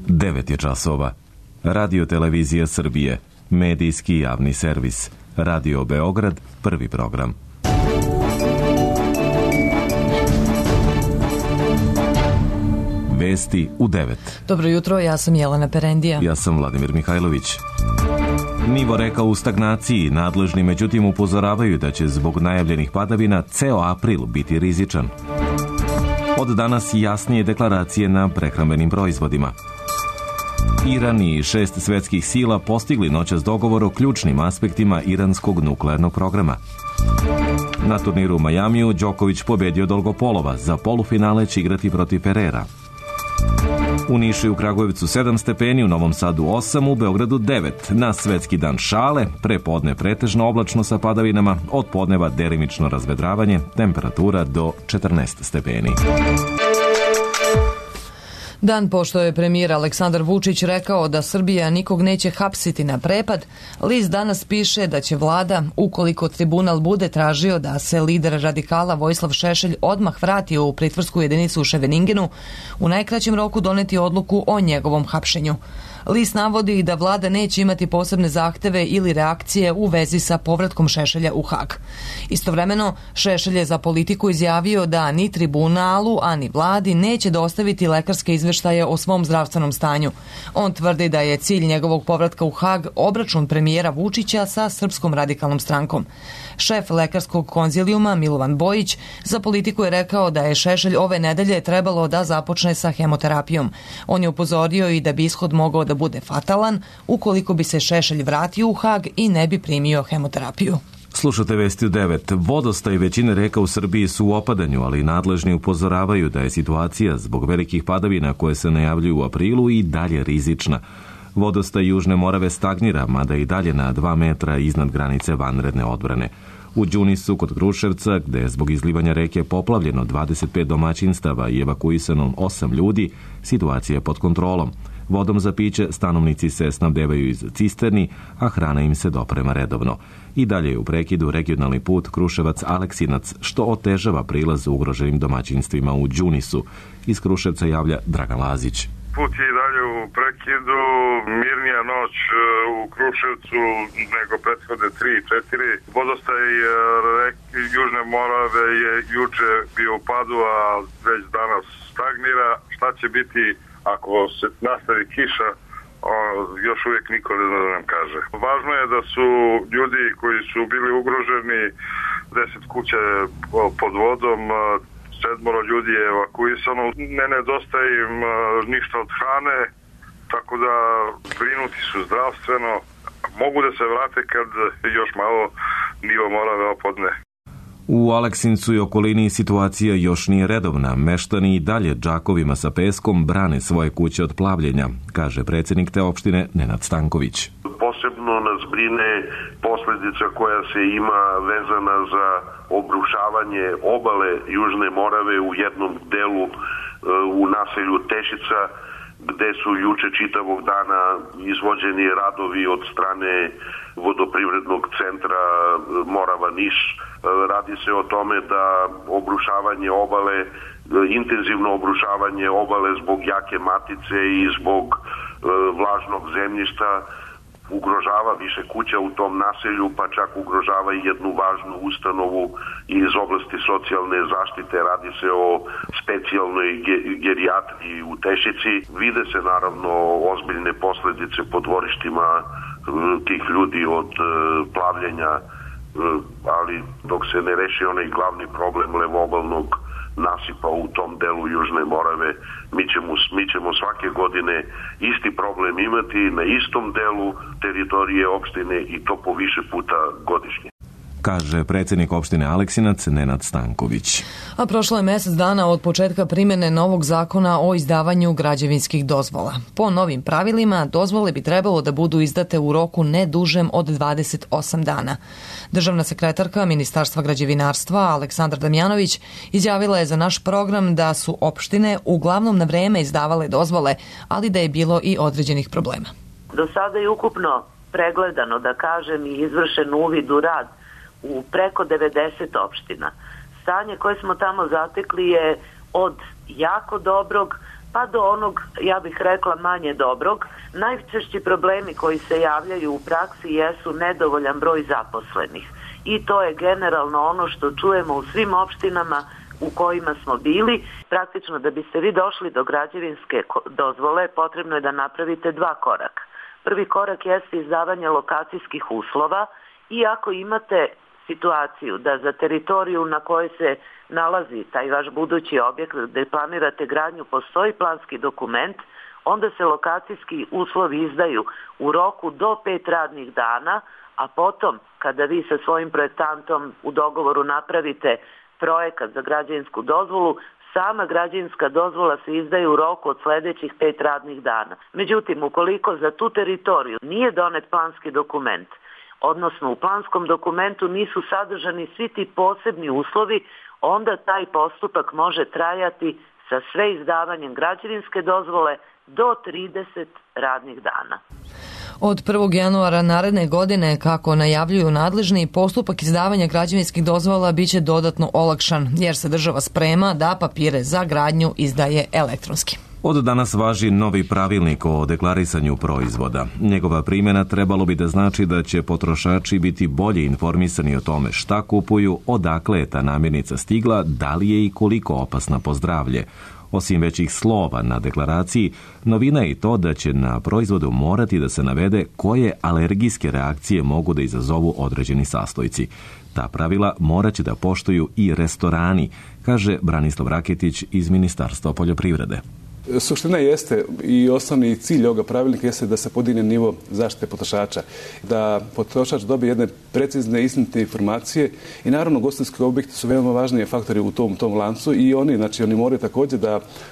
9 je časova. Radio Televizija Srbije, medijski javni servis. Radio Beograd, prvi program. Vesti u 9. Dobro jutro, ja sam Jelena Perendija. Ja sam Vladimir Mihajlović. Nivo reka u stagnaciji, nadležni međutim upozoravaju da će zbog najavljenih padavina ceo april biti rizičan. Od danas jasnije deklaracije na prehrambenim proizvodima. Iran i 6 svetskih sila postigli noćas dogovor o ključnim aspektima iranskog nuklearnog programa. Na turniru u Majamiju Đoković pobedio Dolgopolova, za polufinale će igrati protiv Ferrera. U Nišu i u Kragujevcu 7 stepeni, u Novom Sadu 8, u Beogradu 9. Na svetski dan šale, pre podne pretežno oblačno sa padavinama, od podneva delimično razvedravanje, temperatura do 14 stepeni. Dan pošto je premijer Aleksandar Vučić rekao da Srbija nikog neće hapsiti na prepad, list danas piše da će vlada, ukoliko tribunal bude tražio da se lider radikala Vojislav Šešelj odmah vrati u pritvorsku jedinicu u Ševeningenu, u najkraćem roku doneti odluku o njegovom hapšenju. List navodi da vlada neće imati posebne zahteve ili reakcije u vezi sa povratkom Šešelja u Hag. Istovremeno, Šešelj je za Politiku izjavio da ni tribunalu, a ni vladi neće dostaviti lekarske izveštaje o svom zdravstvenom stanju. On tvrdi da je cilj njegovog povratka u Hag obračun premijera Vučića sa Srpskom radikalnom strankom. Šef lekarskog konzilijuma Milovan Bojić za Politiku je rekao da je Šešelj ove nedelje trebalo da započne sa hemoterapijom. On je upozorio i da bi ishod mogao da bude fatalan ukoliko bi se Šešelj vratio u Hag i ne bi primio hemoterapiju. Slušate vesti u 9. Vodostaj većine reka u Srbiji su u opadanju, ali nadležni upozoravaju da je situacija zbog velikih padavina koje se najavljuju u aprilu i dalje rizična. Vodostaj Južne Morave stagnira, mada i dalje na 2 metra iznad granice vanredne odbrane. U Đunisu kod Kruševca, gde je zbog izlivanja reke poplavljeno 25 domaćinstava i evakuisano 8 ljudi, situacija je pod kontrolom. Vodom za piće stanovnici se snabdevaju iz cisterni, a hrana im se doprema redovno. I dalje je u prekidu regionalni put Kruševac-Aleksinac, što otežava prilaz ugroženim domaćinstvima u Đunisu. Iz Kruševca javlja Dragan Lazić. Put je i dalje u prekidu, mirnija noć u Kruševcu nego prethodne 3 i 4. Vodostaj Južne Morave je juče bio u padu, a već danas stagnira. Šta će biti ako se nastavi kiša, još uvijek niko ne zna da nam kaže. Važno je da su ljudi koji su bili ugroženi, 10 kuća pod vodom, 7 ljudi je evakuisano. Ne nedostaje im ništa od hrane, tako da brinuti su zdravstveno. Mogu da se vrate kad još malo nivo Morave opadne. U Aleksincu i okolini situacija još nije redovna. Meštani i dalje džakovima sa peskom brane svoje kuće od plavljenja, kaže predsjednik te opštine Nenad Stanković. Posebno nas brine posljedica koja se ima vezana za obrušavanje obale Južne Morave u jednom delu u naselju Tešica, gde su juče čitavog dana izvođeni radovi od strane vodoprivrednog centra Morava-Niš. Radi se o tome da obrušavanje obale, intenzivno obrušavanje obale zbog jake matice i zbog vlažnog zemljišta ugrožava više kuća u tom naselju, pa čak ugrožava i jednu važnu ustanovu iz oblasti socijalne zaštite. Radi se o specijalnoj gerijatriji u Tešici. Vide se naravno ozbiljne posljedice po dvorištima tih ljudi od plavljenja, ali dok se ne reši onaj glavni problem levobalnog nasipa u tom delu Južne Morave, mi ćemo svake godine isti problem imati na istom delu teritorije opštine i to po više puta godišnje, kaže predsjednik opštine Aleksinac Nenad Stanković. A prošlo je mjesec dana od početka primjene novog zakona o izdavanju građevinskih dozvola. Po novim pravilima, dozvole bi trebalo da budu izdate u roku ne dužem od 28 dana. Državna sekretarka Ministarstva građevinarstva Aleksandra Damjanović izjavila je za naš program da su opštine uglavnom na vreme izdavale dozvole, ali da je bilo i određenih problema. Do sada je ukupno pregledano, da kažem, i izvršen uvid u rad u preko 90 opština. Stanje koje smo tamo zatekli je od jako dobrog pa do onog, ja bih rekla, manje dobrog. Najčešći problemi koji se javljaju u praksi jesu nedovoljan broj zaposlenih. I to je generalno ono što čujemo u svim opštinama u kojima smo bili. Praktično da biste vi došli do građevinske dozvole potrebno je da napravite 2 koraka. Prvi korak jeste izdavanje lokacijskih uslova i ako imate situaciju da za teritoriju na kojoj se nalazi taj vaš budući objekt gde planirate gradnju postoji planski dokument, onda se lokacijski uslovi izdaju u roku do 5 radnih dana, a potom kada vi sa svojim projektantom u dogovoru napravite projekat za građevinsku dozvolu, sama građevinska dozvola se izdaje u roku od sledećih 5 radnih dana. Međutim, ukoliko za tu teritoriju nije donet planski dokument, odnosno u planskom dokumentu nisu sadržani svi ti posebni uslovi, onda taj postupak može trajati sa sve izdavanjem građevinske dozvole do 30 radnih dana. Od 1. januara naredne godine, kako najavljuju nadležni, postupak izdavanja građevinskih dozvola biće dodatno olakšan, jer se država sprema da papire za gradnju izdaje elektronski. Od danas važi novi pravilnik o deklarisanju proizvoda. Njegova primjena trebalo bi da znači da će potrošači biti bolje informisani o tome šta kupuju, odakle je ta namirnica stigla, da li je i koliko opasna po zdravlje. Osim većih slova na deklaraciji, novina je i to da će na proizvodu morati da se navede koje alergijske reakcije mogu da izazovu određeni sastojci. Ta pravila morat će da poštuju i restorani, kaže Branislav Raketić iz Ministarstva poljoprivrede. Suština jeste i osnovni cilj ovoga pravilnika jeste da se podigne nivo zaštite potrošača, da potrošač dobije jedne precizne, istinite informacije i naravno ugostiteljski objekti su veoma važniji faktori u tom lancu i oni moraju također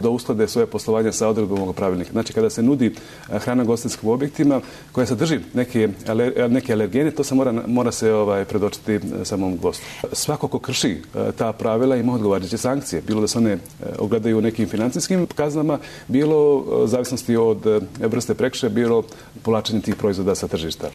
da usklade svoje poslovanje sa odredbom ovog pravilnika. Znači kada se nudi hrana ugostiteljskim objektima koja sadrži neke alergene, to se mora se predočiti samom gostu. Svako ko krši ta pravila ima odgovarajuće sankcije, bilo da se one ogledaju u nekim financijskim kaznama, bilo zavisnosti od vrste prekršaja, bilo povlačenje tih proizvoda sa tržišta.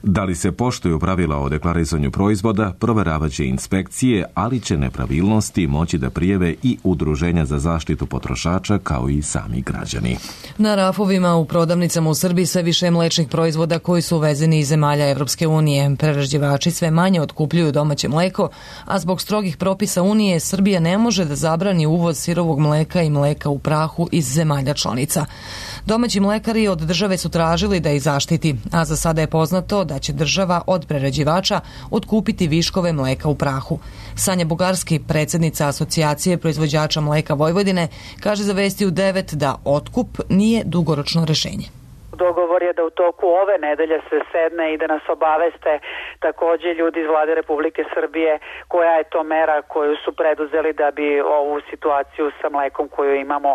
Da li se poštuju pravila o deklarisanju proizvoda, proveravat će inspekcije, ali će nepravilnosti moći da prijave i udruženja za zaštitu potrošača kao i sami građani. Na rafovima u prodavnicama u Srbiji sve više mlečnih proizvoda koji su uvezeni iz zemalja Evropske unije. Prerađivači sve manje otkupljuju domaće mleko, a zbog strogih propisa Unije Srbija ne može da zabrani uvoz sirovog mleka i mleka u prahu iz zemalja članica. Domaći mlekari od države su tražili da ih zaštiti, a za sada je poznato da će država od prerađivača otkupiti viškove mleka u prahu. Sanja Bugarski, predsjednica Asocijacije proizvođača mleka Vojvodine, kaže za Vesti u 9 da otkup nije dugoročno rešenje. Dogovor je da u toku ove nedelje se sedne i da nas obaveste također ljudi iz Vlade Republike Srbije koja je to mera koju su preduzeli da bi ovu situaciju sa mlekom koju imamo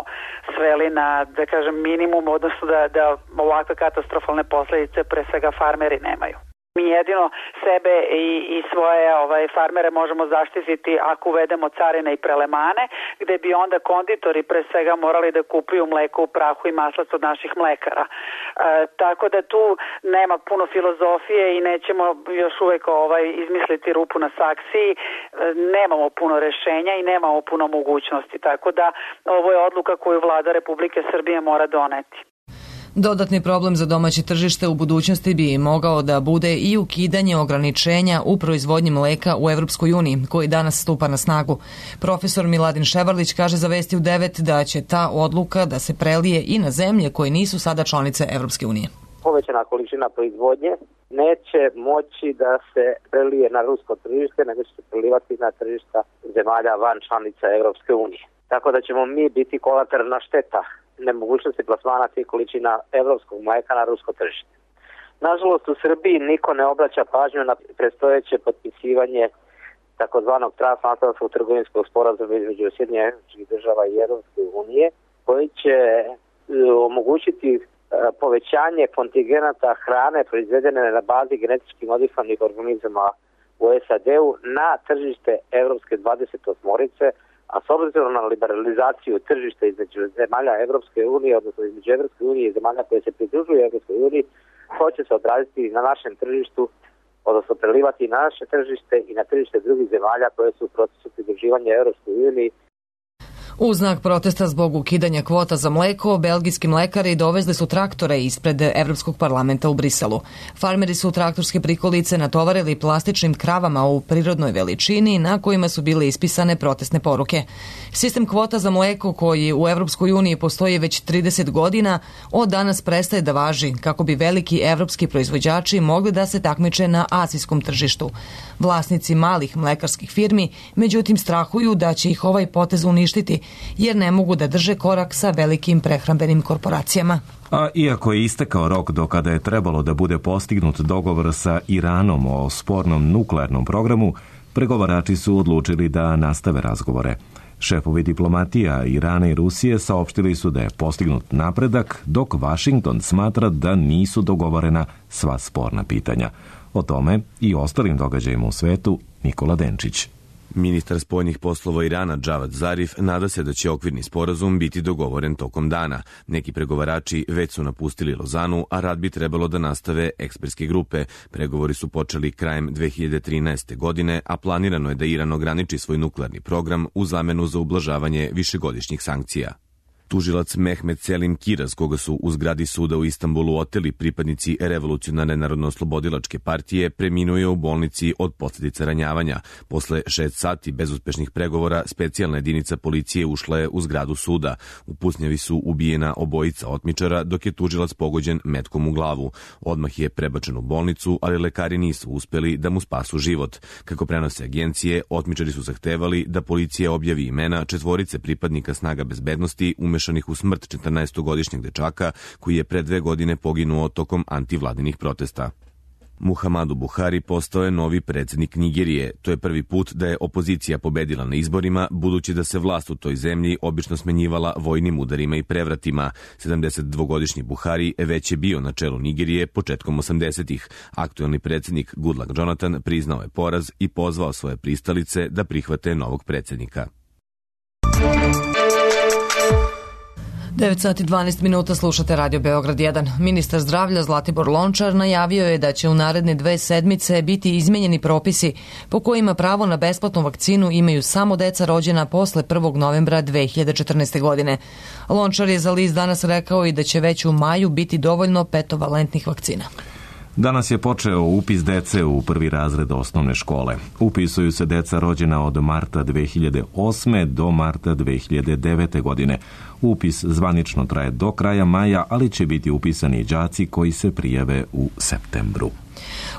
sveli na, da kažem, minimum, odnosno da ovakve katastrofalne posljedice pre svega farmeri nemaju. Mi jedino sebe i svoje farmere možemo zaštititi ako uvedemo carine i prelemane, gde bi onda konditori pre svega morali da kupuju mleko u prahu i maslac od naših mlekara. Tako da tu nema puno filozofije i nećemo još uvek izmisliti rupu na saksiji. Nemamo puno rešenja i nemamo puno mogućnosti. Tako da ovo je odluka koju Vlada Republike Srbije mora doneti. Dodatni problem za domaće tržište u budućnosti bi mogao da bude i ukidanje ograničenja u proizvodnji mleka u Evropskoj uniji, koji danas stupa na snagu. Profesor Miladin Ševarlić kaže za Vesti u 9 da će ta odluka da se prelije i na zemlje koje nisu sada članice Evropske unije. Povećana količina proizvodnje neće moći da se prelije na rusko tržište, nego će se prelivati na tržišta zemalja van članica Evropske unije. Tako da ćemo mi biti kolateralna šteta nemogućnosti plasmana tih količina evropskog mleka na rusko tržište. Nažalost, u Srbiji niko ne obraća pažnju na predstojeće potpisivanje takozvanog transatlantskog trgovinskog sporazuma između Sjedinjenih Američkih Država i Evropske unije, koji će omogućiti povećanje kontingenata hrane proizvedene na bazi genetički modifikovanih organizama u SAD-u na tržište Evropske 28-orice, a s obzirom na liberalizaciju tržišta između zemalja Evropske unije, odnosno između Evropske unije i zemalja koje se pridružuju Evropskoj uniji, to će se odraziti na našem tržištu, odnosno prelivati na naše tržište i na tržište drugih zemalja koje su u procesu pridruživanja Evropskoj uniji. U znak protesta zbog ukidanja kvota za mleko, belgijski mlekari dovezli su traktore ispred Evropskog parlamenta u Briselu. Farmeri su traktorske prikolice natovarili plastičnim kravama u prirodnoj veličini na kojima su bile ispisane protestne poruke. Sistem kvota za mleko koji u Evropskoj uniji postoji već 30 godina od danas prestaje da važi kako bi veliki evropski proizvođači mogli da se takmiče na azijskom tržištu. Vlasnici malih mlekarskih firmi međutim strahuju da će ih ovaj potez uništiti jer ne mogu da drže korak sa velikim prehrambenim korporacijama. A iako je istekao rok do kada je trebalo da bude postignut dogovor sa Iranom o spornom nuklearnom programu, pregovarači su odlučili da nastave razgovore. Šefovi diplomatija Irana i Rusije saopštili su da je postignut napredak, dok Vašington smatra da nisu dogovorena sva sporna pitanja. O tome i ostalim događajima u svetu Nikola Denčić. Ministar spoljnih poslova Irana Džavad Zarif nada se da će okvirni sporazum biti dogovoren tokom dana. Neki pregovarači već su napustili Lozanu, a rad bi trebalo da nastave ekspertske grupe. Pregovori su počeli krajem 2013. godine, a planirano je da Iran ograniči svoj nuklearni program u zamenu za ublažavanje višegodišnjih sankcija. Tužilac Mehmet Selim Kiraz, koga su u zgradi suda u Istanbulu oteli pripadnici Revolucionarne narodno-oslobodilačke partije, preminuo je u bolnici od posljedica ranjavanja. Posle 6 sati bezuspešnih pregovora, specijalna jedinica policije ušla je u zgradu suda. U pucnjavi su ubijena obojica otmičara, dok je tužilac pogođen metkom u glavu. Odmah je prebačen u bolnicu, ali lekari nisu uspeli da mu spasu život. Kako prenose agencije, otmičari su zahtevali da policija objavi imena 4 pripadnika snaga bezbednosti umešanih u smrt 14-godišnjeg dečaka koji je pre 2 godine poginuo tokom antivladinih protesta. Muhammadu Buhari postao je novi predsjednik Nigerije. To je prvi put da je opozicija pobedila na izborima, budući da se vlast u toj zemlji obično smenjivala vojnim udarima i prevratima. 72-godišnji Buhari već je bio na čelu Nigerije početkom 80-ih. Aktuelni predsjednik Goodluck Jonathan priznao je poraz i pozvao svoje pristalice da prihvate novog predsjednika. 9 sati 12 minuta slušate Radio Beograd 1. Ministar zdravlja Zlatibor Lončar najavio je da će u naredne 2 sedmice biti izmenjeni propisi po kojima pravo na besplatnu vakcinu imaju samo deca rođena posle 1. novembra 2014. godine. Lončar je za list Danas rekao i da će već u maju biti dovoljno petovalentnih vakcina. Danas je počeo upis dece u 1. razred osnovne škole. Upisuju se deca rođena od marta 2008. do marta 2009. godine. Upis zvanično traje do kraja maja, ali će biti upisani i đaci koji se prijave u septembru.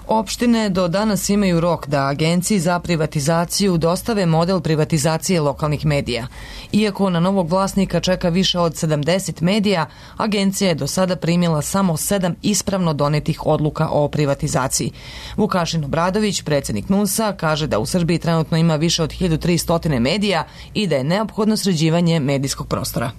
Opštine do danas imaju rok da Agenciji za privatizaciju dostave model privatizacije lokalnih medija. Iako na novog vlasnika čeka više od 70 medija, agencija je do sada primila samo 7 ispravno donetih odluka o privatizaciji. Vukašin Obradović, predsjednik NUNS-a, kaže da u Srbiji trenutno ima više od 1300 medija i da je neophodno sređivanje medijskog prostora.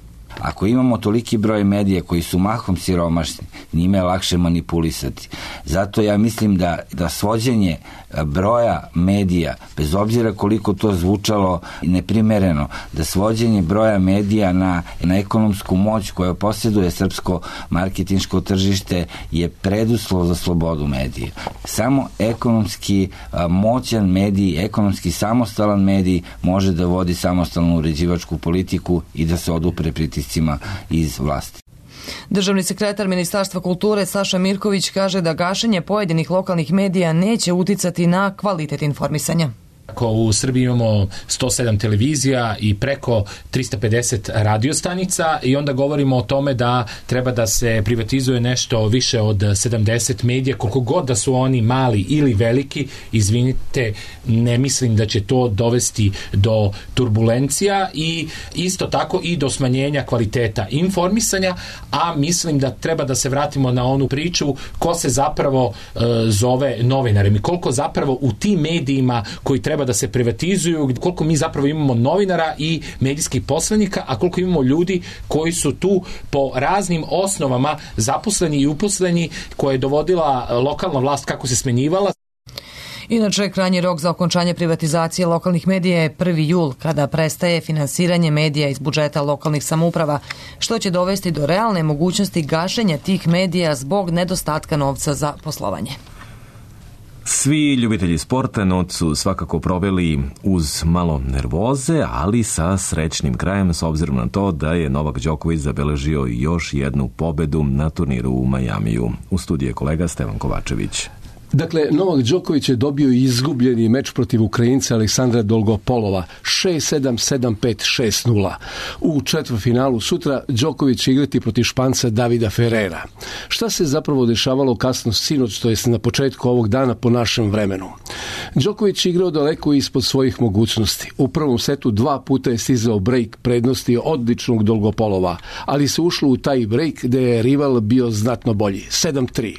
Ako imamo toliki broj medija koji su mahom siromašni, njime je lakše manipulisati. Zato ja mislim da svođenje broja medija, bez obzira koliko to zvučalo neprimereno, da svođenje broja medija na ekonomsku moć koju posjeduje srpsko marketinško tržište je preduslov za slobodu medija. Samo ekonomski moćan medij, ekonomski samostalan medij može da vodi samostalnu uređivačku politiku i da se odupre pritiscima iz vlasti. Državni sekretar Ministarstva kulture Saša Mirković kaže da gašenje pojedinih lokalnih medija neće uticati na kvalitet informisanja. Ako u Srbiji imamo 107 televizija i preko 350 radiostanica i onda govorimo o tome da treba da se privatizuje nešto više od 70 medija, koliko god da su oni mali ili veliki, izvinite, ne mislim da će to dovesti do turbulencija i isto tako i do smanjenja kvaliteta informisanja, a mislim da treba da se vratimo na onu priču ko se zapravo zove novinarem i koliko zapravo u tim medijima koji treba da se privatizuju, koliko mi zapravo imamo novinara i medijskih poslanika, a koliko imamo ljudi koji su tu po raznim osnovama zaposleni i uposleni, koje je dovodila lokalna vlast kako se smenjivala. Inače, krajnji rok za okončanje privatizacije lokalnih medija je 1. jul, kada prestaje finansiranje medija iz budžeta lokalnih samouprava, što će dovesti do realne mogućnosti gašenja tih medija zbog nedostatka novca za poslovanje. Svi ljubitelji sporta noć su svakako proveli uz malo nervoze, ali sa srećnim krajem s obzirom na to da je Novak Đoković zabeležio još jednu pobedu na turniru u Majamiju. U studiju je kolega Stevan Kovačević. Dakle, Novak Đoković je dobio izgubljeni meč protiv Ukrajinca Aleksandra Dolgopolova 6-7, 7-5, 6-0. U četvrtfinalu sutra Đoković će igrati protiv Španca Davida Ferrera. Šta se zapravo dešavalo kasno sinoć, to jest na početku ovog dana po našem vremenu? Đoković je igrao daleko ispod svojih mogućnosti. U prvom setu 2 puta je stizao break prednosti odličnog Dolgopolova, ali se ušlo u taj break gde je rival bio znatno bolji, 7-3.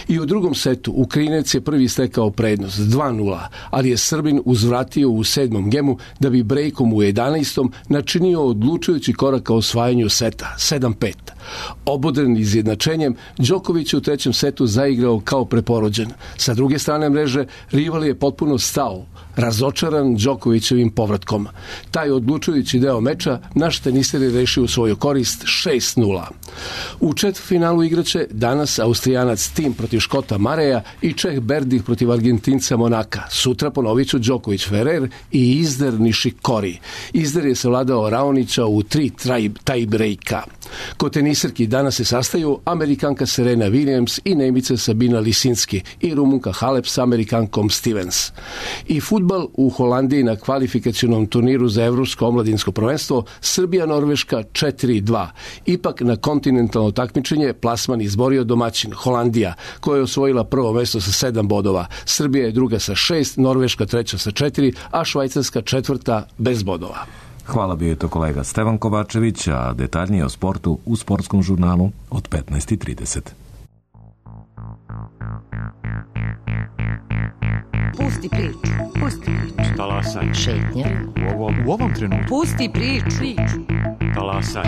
I u drugom setu Ukrajinac je prvi stekao prednost 2-0, ali je Srbin uzvratio u 7. gemu da bi brejkom u 11. načinio odlučujući korak ka osvajanju seta 7-5. Obodren izjednačenjem, Đoković je u 3. setu zaigrao kao preporođen. Sa druge strane mreže, rival je potpuno stao, razočaran Đokovićevim povratkom. Taj odlučujući deo meča naš teniser je rešio u svoju korist 6-0. U četvrtfinalu igraće danas Austrijanac Tim protiv Škota Mareja i Čeh Berdih protiv Argentinca Monaka. Sutra ponovit ću Đoković Ferrer i Isner Nishikori. Isner je savladao Raonića u 3 tie-breaka. Kod teniserki danas se sastaju Amerikanka Serena Williams i Nemica Sabina Lisinski i Rumunka Halep sa Amerikankom Stevens. I fudbal u Holandiji na kvalifikacionom turniru za Evropsko omladinsko prvenstvo Srbija-Norveška 4-2. Ipak na kontinentalno takmičenje plasman izborio domaćin Holandija, koja je osvojila prvo mesto sa 7 bodova. Srbija je druga sa 6, Norveška treća sa 4, a Švajcarska četvrta bez bodova. Hvala, bio je to kolega Stevan Kovačević, a detaljnije o sportu u sportskom žurnalu od 15:30. Pusti priču. Pusti priču. Talasaj. Šetnja. U ovom trenutku. Pusti priču. Talasaj.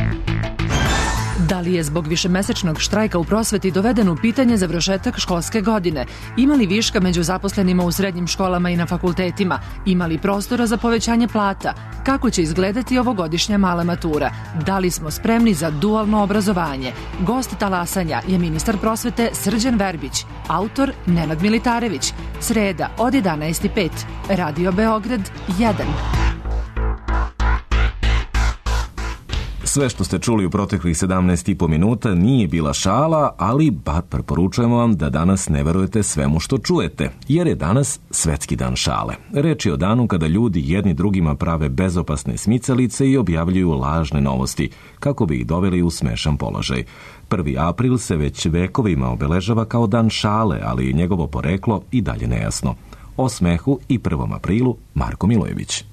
Da li je zbog višemesečnog štrajka u prosveti doveden u pitanje završetak školske godine? Ima li viška među zaposlenima u srednjim školama i na fakultetima? Ima li prostora za povećanje plata? Kako će izgledati ovogodišnja mala matura? Da li smo spremni za dualno obrazovanje? Gost talasanja je ministar prosvete Srđan Verbić, autor Nenad Militarević. Sreda od 11:05. Radio Beograd 1. Sve što ste čuli u proteklih 17,5 minuta nije bila šala, ali bar preporučujemo vam da danas ne verujete svemu što čujete, jer je danas Svetski dan šale. Reč je o danu kada ljudi jedni drugima prave bezopasne smicalice i objavljuju lažne novosti, kako bi ih doveli u smešan položaj. 1. april se već vekovima obeležava kao dan šale, ali njegovo poreklo i dalje nejasno. O smehu i 1. aprilu Marko Milojević.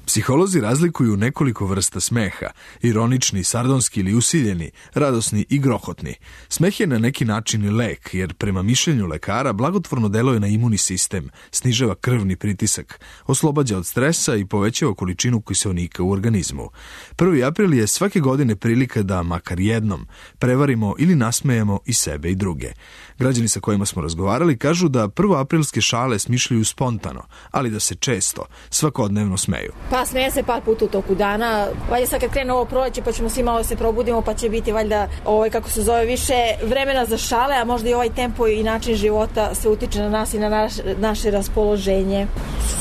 Psiholozi razlikuju nekoliko vrsta smeha, ironični, sardonski ili usiljeni, radosni i grohotni. Smeh je na neki način i lek, jer prema mišljenju lekara blagotvorno deluje na imunni sistem, snižava krvni pritisak, oslobađa od stresa i povećava količinu kiseonika u organizmu. 1. april je svake godine prilika da, makar jednom, prevarimo ili nasmejemo i sebe i druge. Građani sa kojima smo razgovarali kažu da prvoaprilske šale smišljaju spontano, ali da se često, svakodnevno smeju. Pa smeje se par puta u toku dana. Valjda sad kad krene ovo proleće pa ćemo svi malo se probudimo pa će biti valjda kako se zove više vremena za šale, a možda i ovaj tempo i način života se utiče na nas i na naše raspoloženje.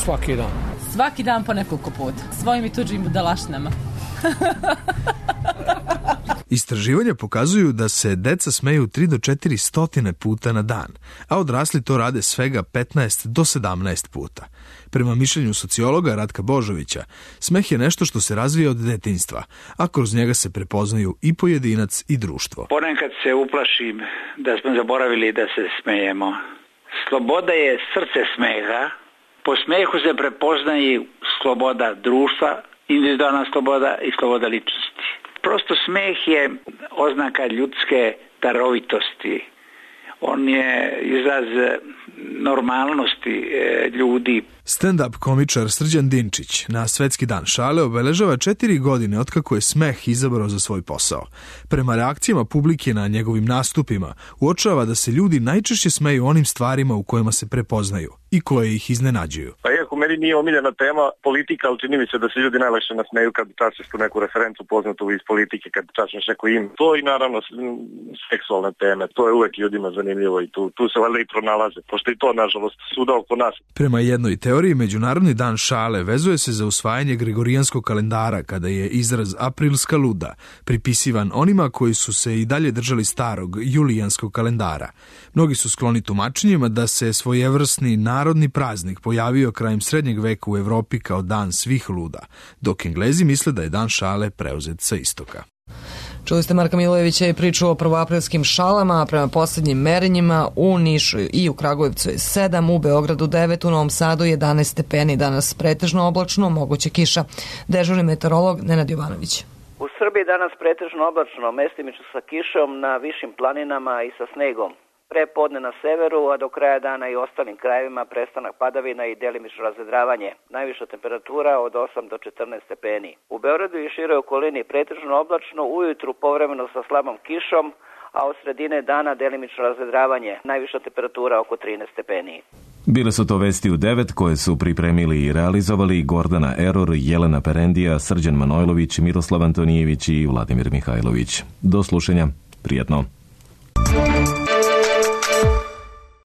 Svaki dan. Svaki dan po nekoliko puta. Svojim i tuđim budalaštinama. Istraživanja pokazuju da se deca smeju 3 do 400 puta na dan, a odrasli to rade svega 15 do 17 puta. Prema mišljenju sociologa Ratka Božovića, smeh je nešto što se razvija od detinjstva, a kroz njega se prepoznaju i pojedinac i društvo. Ponekad se uplašim da smo zaboravili da se smejemo. Sloboda je srce smeha. Po smehu se prepoznaje sloboda društva, individualna sloboda i sloboda ličnosti. Prosto smeh je oznaka ljudske darovitosti. On je izraz normalnosti ljudi. Stand-up komičar Srđan Dinčić na Svetski dan šale obeležava 4 godine otkako je smeh izabrao za svoj posao. Prema reakcijama publike na njegovim nastupima uočava da se ljudi najčešće smeju onim stvarima u kojima se prepoznaju i koje ih iznenađuju. Pa iako meni nije omiljena tema politika, ali čini mi se da se ljudi najlakše nasmeju kad čačeš tu neku referencu poznatu iz politike, kad čačeš neko ime. To i naravno seksualne teme, to je uvek ljudima zanimljivo i tu se valjda i pronalaze, pošto i to nažalost svuda oko nas. Prema jednoj teoriji, Međunarodni dan šale vezuje se za usvajanje Gregorijanskog kalendara, kada je izraz aprilska luda pripisivan onima koji su se i dalje držali starog julijanskog kalendara. Mnogi su skloni tumačenjima da se svojevrsni narodni praznik pojavio krajem srednjeg veka u Evropi kao dan svih luda, dok Englezi misle da je dan šale preuzet sa istoka. Čuli ste Marka Milojevića i priču o prvoaprilskim šalama, a prema posljednjim merenjima u Nišu i u Kragujevcu je 7, u Beogradu 9, u Novom Sadu 11 stepeni, danas pretežno oblačno, moguće kiša. Dežurni meteorolog Nenad Jovanović. U Srbiji danas pretežno oblačno, mestimično sa kišom na višim planinama i sa snegom. Pre podne na severu, a do kraja dana i ostalim krajevima prestanak padavina i delimično razvedravanje. Najviša temperatura od 8 do 14 stepeni. U Beogradu i široj okolini pretežno oblačno, ujutru povremeno sa slabom kišom, a od sredine dana delimično razvedravanje. Najviša temperatura oko 13 stepeni. Bile su to vesti u 9 koje su pripremili i realizovali Gordana Eror, Jelena Perendija, Srđan Manojlović, Miroslav Antonijević i Vladimir Mihajlović. Do slušanja. Prijetno.